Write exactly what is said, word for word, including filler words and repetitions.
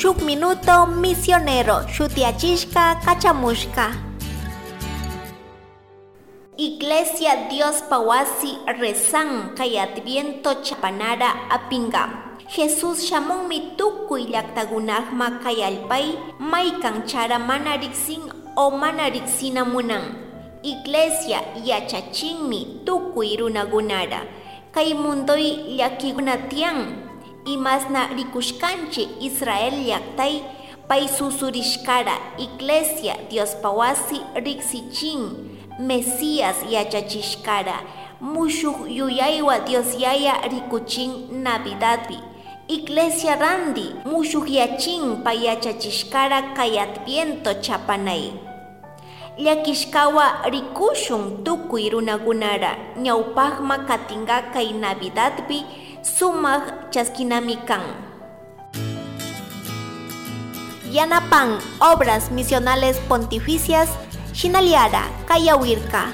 Shuk Minuto Misionero shutiyachishka kachamushka. Iglesia Diospa wasi rezan kay Adviento chapanara apinga. Jesús shamunmi tukuy llaktakunakma kay allpay maykan chara mana riksin o mana riksina munan. Iglesia yachachinmi tukuy runakunara. Kay mundoy llakikuna tiyan. Imasna rikushkanchik Israel llaktay pay susurishkara Iglesia Diospa wasi riksichin Mesías yachachishkara mushuk yuyaywa Dios Yaya rikuchin Navidadpi. Iglesia randi mushukyachin pay yachachishkara kay Adviento chapanay. Llakishkawa rikushun tukuy runakunara ñawpakma katinka kay Navidadpi sumak chaskinami kan. Yanapan Obras Misionales Pontificias Shinaliara Kayawirka.